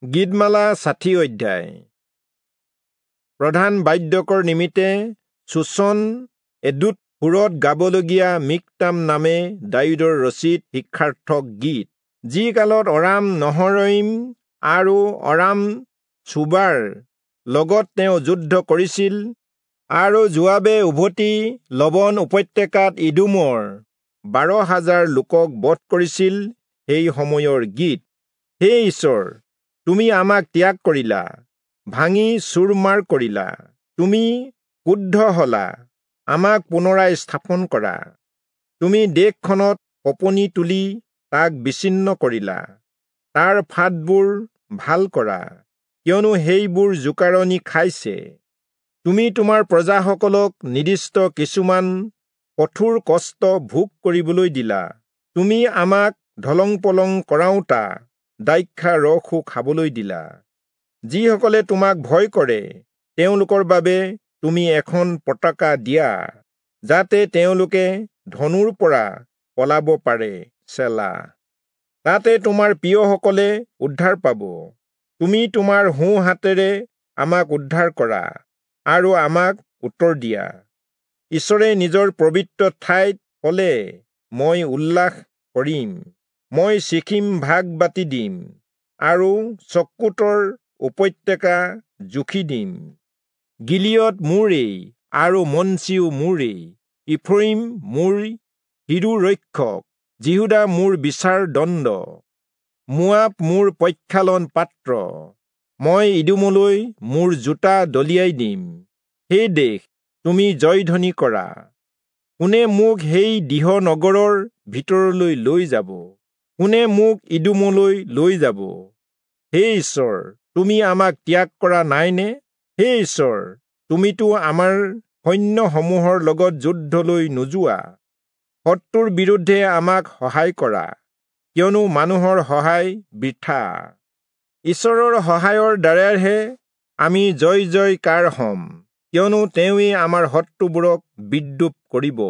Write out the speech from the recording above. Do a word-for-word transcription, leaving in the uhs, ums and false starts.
গীতমালা ষাঠি অধ্যায়। প্ৰধান বাদ্যকৰ নিমিত্তে চূচন এদুত সুৰত গাবলগীয়া মিক্তাম নামে দায়ূদৰ ৰচিত শিক্ষাৰ্থক গীত। যি কালত অৰাম নহৰয়িম আৰু অৰাম চোবাৰ লগত তেওঁ যুদ্ধ কৰিছিল, আৰু যোৱাবে উভতি লবণ উপত্যকাত ইদোমৰ বাৰ হাজাৰ লোকক বধ কৰিছিল, সেই সময়ৰ গীত। হে ঈশ্বৰ, তুমি আমাক ত্যাগ কৰিলা, ভাঙি চুৰমাৰ কৰিলা, তুমি ক্ৰুদ্ধ হলা, আমাক পুনৰাই স্থাপন কৰা। তুমি দেশখনত কঁপনি তুলি তাক বিচ্ছিন্ন কৰিলা, তাৰ ফাটবোৰ ভাল কৰা, কিয়নো সেইবোৰ জোকাৰণি খাইছে। তুমি তোমাৰ প্ৰজাসকলক নিৰ্দিষ্ট কিছুমান কঠোৰ কষ্ট ভোগ কৰিবলৈ দিলা, তুমি আমাক ঢলং পলং কৰাওঁতা দ্ৰাক্ষা ৰসো খাবলৈ দিলা। যিসকলে তোমাক ভয় কৰে তেওঁলোকৰ বাবে তুমি এখন পতাকা দিয়া, যাতে তেওঁলোকে ধনুৰ পৰা পলাব পাৰে। চেলা। তাতে তোমাৰ প্ৰিয়সকলে উদ্ধাৰ পাব। তুমি তোমাৰ সোঁ হাতেৰে আমাক উদ্ধাৰ কৰা আৰু আমাক উত্তৰ দিয়া। ঈশ্বৰে নিজৰ পবিত্ৰ ঠাইত কলে, মই উল্লাস কৰিম, মই চিখিম ভাগ বাটি দিম আৰু চক্কুতৰ উপত্যকা জুখি দিম। গিলিয়দ মোৰেই আৰু মনচিও মোৰেই, ইফ্ৰয়িম মোৰ শিৰোৰক্ষক, যিহূদা মোৰ বিচাৰ দণ্ড, মোৱাব মোৰ প্ৰক্ষালন পাত্ৰ। মই ইদোমলৈ মোৰ জোতা দলিয়াই দিম। হে দেশ, তুমি জয়ধ্বনি কৰা। কোনে মোক সেই দৃঢ় নগৰৰ ভিতৰলৈ লৈ যাব? কোনে মোক ইদোমলৈ লৈ যাব? হে ঈশ্বৰ, তুমি আমাক ত্যাগ কৰা নাইনে? হে ঈশ্বৰ, তুমিতো আমাৰ সৈন্যসমূহৰ লগত যুদ্ধলৈ নোযোৱা। শত্ৰুৰ বিৰুদ্ধে আমাক সহায় কৰা, কিয়নো মানুহৰ সহায় বৃথা। ঈশ্বৰৰ সহায়ৰ দ্বাৰাহে আমি জয় জয়কাৰ হ'ম, কিয়নো তেওঁৱেই আমাৰ শত্ৰুবোৰক বিদ্ৰূপ কৰিব।